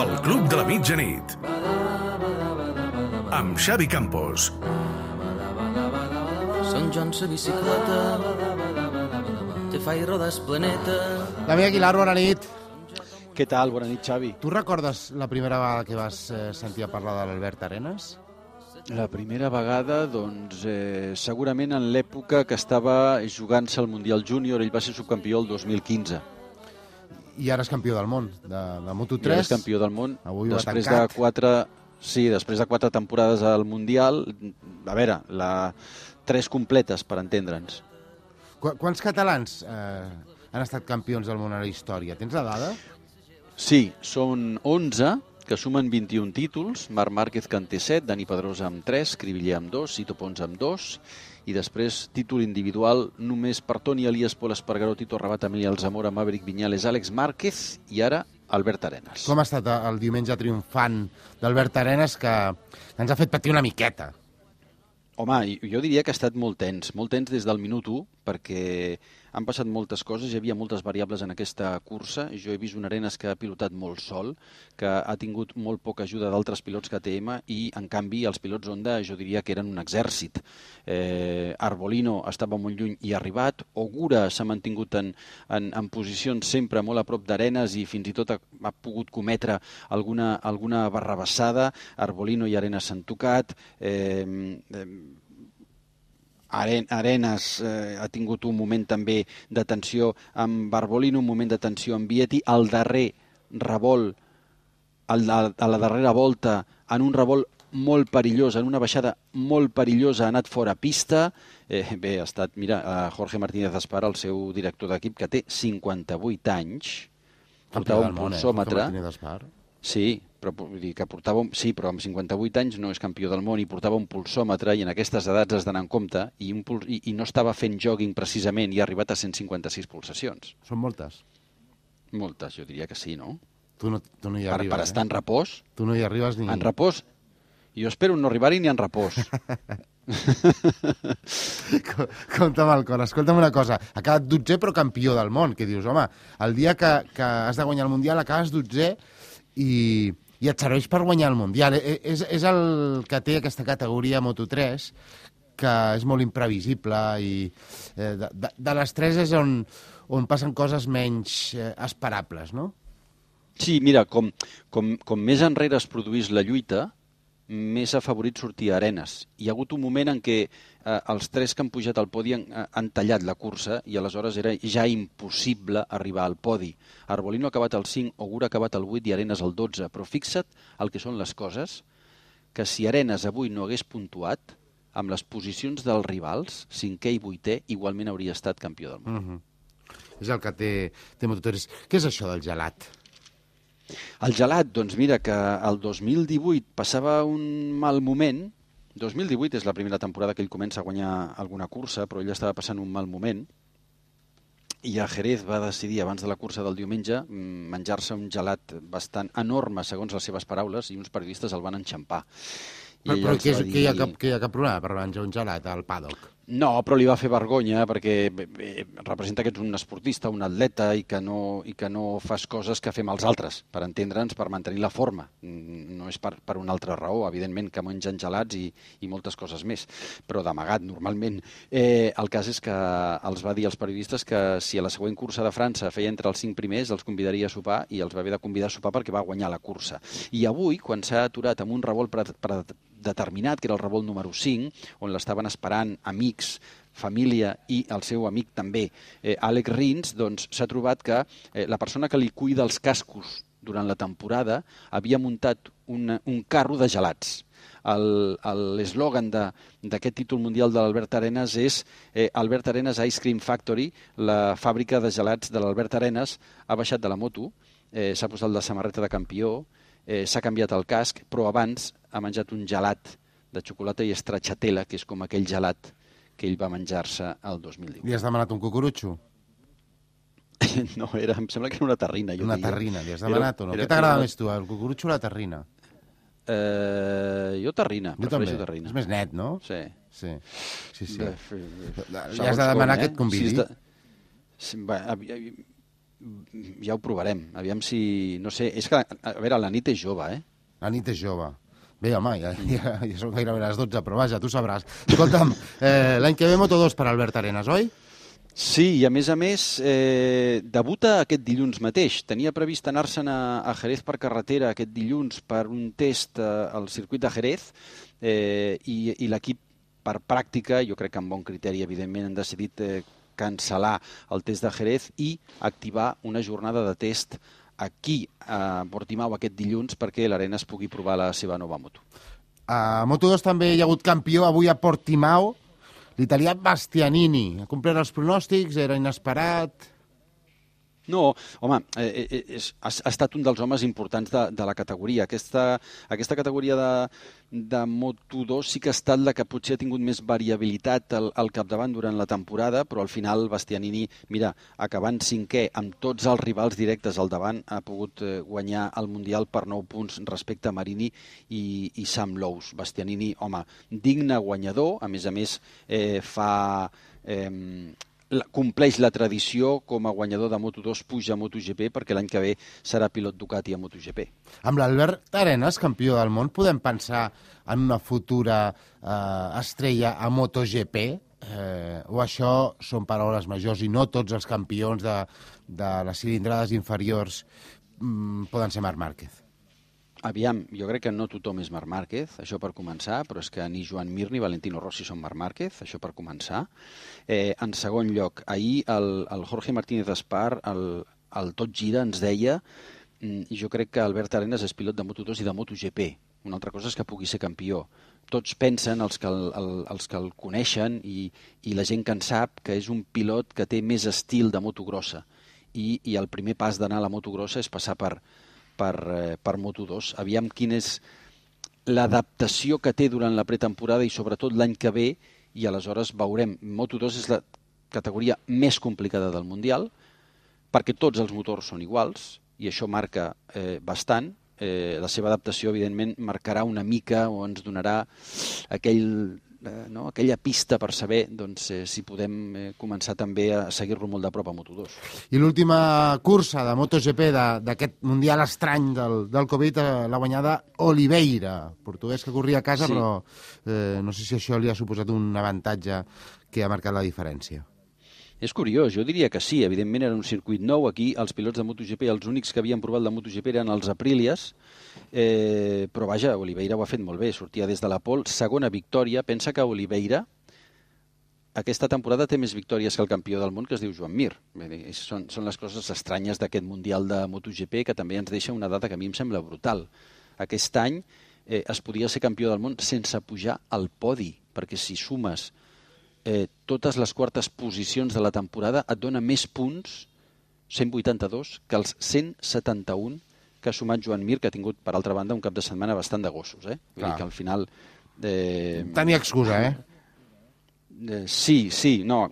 El Club de la Mitjanit. Amb Xavi Campos. Sant Joan sa bicicleta, te fa i rodes planeta. Damià Aguilar, bona nit. Què tal? Bona nit, Xavi. Tu recordes la primera vegada que vas sentir a parlar de l'Albert Arenas? La primera vegada, doncs, segurament en l'època que estava jugant-se al Mundial Júnior. Ell va ser subcampió el 2015. I ara és campió del món, de Moto3. I ara és campió del món. Avui ho ha després tancat. després de 4 temporades al Mundial. A veure, 3 completes, per entendre'ns. Quants catalans han estat campions del món a la història? Tens la dada? Sí, són 11, que sumen 21 títols. Marc Márquez, que en té 7, Dani Pedrosa amb 3, Cribillé amb 2, Sito Pons amb 2, i després títol individual només per Toni Elias, Pol Espargaró, Tito Rabat, Emilià Alzamora, Maverick Viñales, Àlex Márquez i ara Albert Arenas. Com ha estat el diumenge triomfant d'Albert Arenas, que ens ha fet patir una miqueta? Home, jo diria que ha estat molt tens des del minut 1, perquè han passat moltes coses, hi havia moltes variables en aquesta cursa. Jo he vist un Arenas que ha pilotat molt sol, que ha tingut molt poca ajuda d'altres pilots KTM i, en canvi, els pilots Honda jo diria que eren un exèrcit. Arbolino estava molt lluny i ha arribat. Ogura s'ha mantingut en posicions sempre molt a prop d'Arenas i fins i tot ha pogut cometre alguna barrabassada. Arbolino i Arenas s'han tocat. Arenas ha tingut un moment també de tensió amb Arbolino, un moment de tensió amb Vietti. El darrer revolt, a la darrera volta, en un revolt molt perillós, en una baixada molt perillosa, ha anat fora pista. Bé, ha estat, mira, Jorge Martínez Espar, el seu director d'equip, que té 58 anys, portava un pulsòmetre. Sí, però vull dir que però amb 58 anys no és campió del món i portava un pulsòmetre i en aquestes edats has d'anar en compte i no estava fent jogging precisament i ha arribat a 156 pulsacions. Són moltes? Moltes, jo diria que sí, no? Tu no hi arribes, per estar en repòs? Tu no hi arribes ni... En repòs? Jo espero no arribar-hi ni en repòs. Compte amb el cor. Escolta'm una cosa. Ha quedat 12è però campió del món. Que dius, home, el dia que has de guanyar el Mundial acabes 12è i et serveix per guanyar el Mundial. És el que té aquesta categoria Moto3, que és molt imprevisible i de les 3 és on passen coses menys esperables, no? Sí, mira, com més enrere es produís la lluita, més afavorit sortia Arenas. Hi ha hagut un moment en què els 3 que han pujat al podi han tallat la cursa i aleshores era ja impossible arribar al podi. Arbolino ha acabat el 5, Ogura ha acabat el 8 i Arenas el 12. Però fixa't el que són les coses, que si Arenas avui no hagués puntuat, amb les posicions dels rivals, 5è i 8è, igualment hauria estat campió del món. És el que té Moto3. Què és això del gelat? El gelat, doncs mira que el 2018 passava un mal moment. 2018 és la primera temporada que ell comença a guanyar alguna cursa, però ell estava passant un mal moment. I a Jerez va decidir, abans de la cursa del diumenge, menjar-se un gelat bastant enorme, segons les seves paraules, i uns periodistes el van enxampar. Però que hi ha cap problema per menjar un gelat al paddock? No, però li va fer vergonya perquè representa que ets un esportista, un atleta i que no fas coses que fem els altres, per entendre'ns, per mantenir la forma. No és per una altra raó, evidentment, que mengen gelats i moltes coses més, però d'amagat, normalment. El cas és que els va dir als periodistes que si a la següent cursa de França feia entre els 5 primers, els convidaria a sopar i els va haver de convidar a sopar perquè va guanyar la cursa. I avui, quan s'ha aturat amb un revolt determinat, que era el revolt número 5, on l'estaven esperant amics, família i el seu amic també, Àlex Rins, doncs s'ha trobat que la persona que li cuida els cascos durant la temporada havia muntat un carro de gelats. L'eslògan d'aquest títol mundial de l'Albert Arenas és Albert Arenas Ice Cream Factory, la fàbrica de gelats de l'Albert Arenas. Ha baixat de la moto, s'ha posat la samarreta de campió, s'ha canviat el casc, però abans ha menjat un gelat de xocolata i stracciatella, que és com aquell gelat que ell va menjar-se el 2010. Li has demanat un cucurutxo? No, em sembla que era una terrina. Una terrina, li has demanat o no? Què t'agrada més tu, el cucurutxo o la terrina? Jo terrina, prefereixo terrina. És més net, no? Sí. Li has de demanar que et convidi. ja ho provarem. Aviam si... No sé, és que, a veure, la nit és jove, eh? La nit és jove. Bé, home, ja són gairebé les 12, però vaja, tu sabràs. Escolta'm, l'any que ve Moto2 per Albert Arenas, oi? Sí, i a més, debuta aquest dilluns mateix. Tenia previst anar-se'n a Jerez per carretera aquest dilluns per un test al circuit de Jerez i l'equip, per pràctica, jo crec que amb bon criteri, evidentment, han decidit cancel·lar el test de Jerez i activar una jornada de test aquí, a Portimao, aquest dilluns, perquè l'Arenas pugui provar la seva nova moto. A Moto2 també hi ha hagut campió avui a Portimao, l'italià Bastianini. Ha complert els pronòstics, era inesperat... No, home, ha estat un dels homes importants de la categoria. Aquesta categoria de Moto2 sí que ha estat la que potser ha tingut més variabilitat al capdavant durant la temporada, però al final Bastianini, mira, acabant cinquè amb tots els rivals directes al davant, ha pogut guanyar el Mundial per 9 punts respecte a Marini i Sam Lowes. Bastianini, home, digne guanyador, a més, compleix la tradició com a guanyador de Moto2, puja a MotoGP, perquè l'any que ve serà pilot Ducati a MotoGP. Amb l'Albert Arenas, campió del món, podem pensar en una futura estrella a MotoGP? O això són paraules majors i no tots els campions de les cilindrades inferiors poden ser Marc Márquez? Aviam, jo crec que no tothom és Marc Márquez, això per començar, però és que ni Joan Mir ni Valentino Rossi són Marc Márquez, això per començar. En segon lloc, ahir el Jorge Martínez Espar, el Tot Gira, ens deia, i jo crec que Albert Arenas és pilot de Moto2 i de MotoGP. Una altra cosa és que pugui ser campió. Tots pensen, els que el coneixen i la gent que en sap, que és un pilot que té més estil de moto grossa. I el primer pas d'anar a la moto grossa és passar per Moto2. Aviam quina és l'adaptació que té durant la pretemporada i sobretot l'any que ve, i aleshores veurem. Moto2 és la categoria més complicada del Mundial, perquè tots els motors són iguals, i això marca bastant. La seva adaptació, evidentment, marcarà una mica o ens donarà aquella pista per saber si podem començar també a seguir-lo molt de prop a Moto2. I l'última cursa de MotoGP d'aquest Mundial estrany del Covid l'ha guanyada Oliveira, portuguès que corria a casa, sí. Però no sé si això li ha suposat un avantatge que ha marcat la diferència. És curiós, jo diria que sí. Evidentment era un circuit nou. Aquí els pilots de MotoGP, els únics que havien provat la MotoGP eren els Aprilias, però vaja, Oliveira ho ha fet molt bé. Sortia des de la pole, segona victòria. Pensa que Oliveira aquesta temporada té més victòries que el campió del món, que es diu Joan Mir. Són les coses estranyes d'aquest Mundial de MotoGP, que també ens deixa una data que a mi em sembla brutal. Aquest any es podia ser campió del món sense pujar al podi, perquè si sumes totes les quartes posicions de la temporada et dona més punts, 182, que els 171 que ha sumat Joan Mir, que ha tingut, per altra banda, un cap de setmana bastant de gossos. Vull dir que al final... Tenia excusa, Sí, no...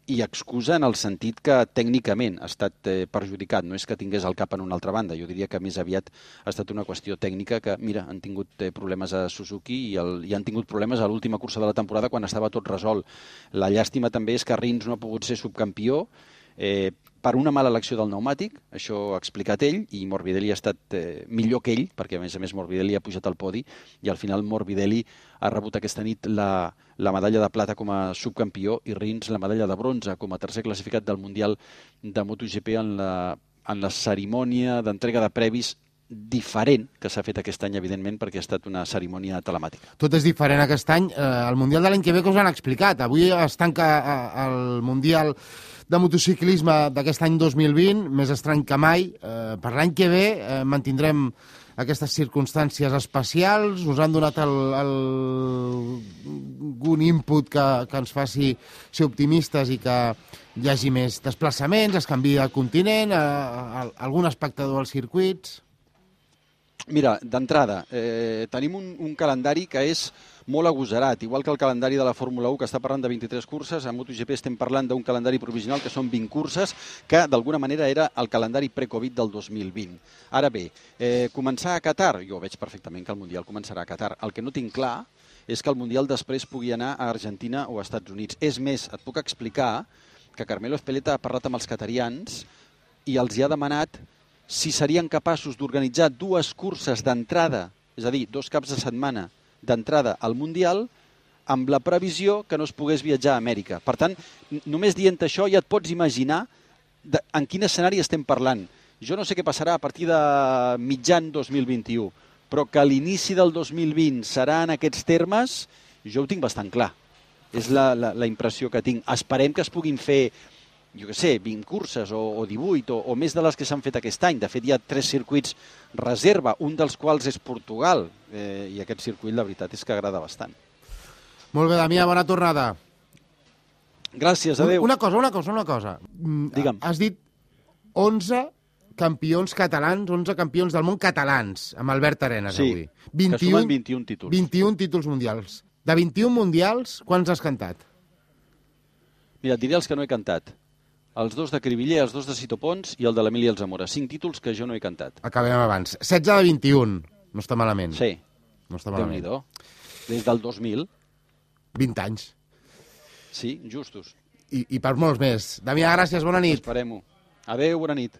I excusa en el sentit que tècnicament ha estat perjudicat, no és que tingués el cap en una altra banda, jo diria que més aviat ha estat una qüestió tècnica que, mira, han tingut problemes a Suzuki i han tingut problemes a l'última cursa de la temporada quan estava tot resolt. La llàstima també és que Rins no ha pogut ser subcampió per una mala elecció del pneumàtic, això ho ha explicat ell, i Morbidelli ha estat millor que ell, perquè a més Morbidelli ha pujat al podi, i al final Morbidelli ha rebut aquesta nit la medalla de plata com a subcampió i Rins la medalla de bronze com a tercer classificat del Mundial de MotoGP en la cerimònia d'entrega de previs diferent que s'ha fet aquest any, evidentment, perquè ha estat una cerimònia telemàtica. Tot és diferent aquest any. El Mundial de l'any que ve que us han explicat. Avui es tanca el Mundial de motociclisme d'aquest any 2020, més estrany que mai. Per l'any que ve mantindrem aquestes circumstàncies especials. Us han donat algun input que ens faci ser optimistes i que hi hagi més desplaçaments, es canvia el continent, algun espectador als circuits... Mira, d'entrada, tenim un calendari que és molt agosarat, igual que el calendari de la Fórmula 1, que està parlant de 23 curses, a MotoGP estem parlant d'un calendari provisional que són 20 curses, que d'alguna manera era el calendari pre-Covid del 2020. Ara bé, començar a Qatar, jo veig perfectament que el Mundial començarà a Qatar. El que no tinc clar és que el Mundial després pugui anar a Argentina o a Estats Units. És més, et puc explicar que Carmelo Ezpeleta ha parlat amb els qatarians i els hi ha demanat si serien capaços d'organitzar 2 curses d'entrada, és a dir, 2 caps de setmana d'entrada al Mundial, amb la previsió que no es pogués viatjar a Amèrica. Per tant, només dient això ja et pots imaginar en quin escenari estem parlant. Jo no sé què passarà a partir de mitjan 2021, però que l'inici del 2020 serà en aquests termes, jo ho tinc bastant clar. És la impressió que tinc. Esperem que es puguin fer, jo què sé, 20 curses o 18 o més de les que s'han fet aquest any. De fet, hi ha 3 circuits reserva, un dels quals és Portugal, i aquest circuit, la veritat, és que agrada bastant. Molt bé, Damià, bona tornada. Gràcies, adéu. Una cosa. Digue'm. Has dit 11 campions catalans, 11 campions del món catalans, amb Albert Arenas avui. Sí, que sumen 21 títols. 21 títols mundials. De 21 mundials, quants has cantat? Mira, et diré els que no he cantat. Els 2 de Cribiller, els 2 de Sito Pons i el de l'Emili Alzamora. 5 títols que jo no he cantat. Acabem abans. 16 de 21. No està malament. Sí. No està malament. Déu-n'hi-do. Des del 2000. 20 anys. Sí, justos. I per molts més. Damià, gràcies, bona nit. Esperem-ho. Adéu, bona nit.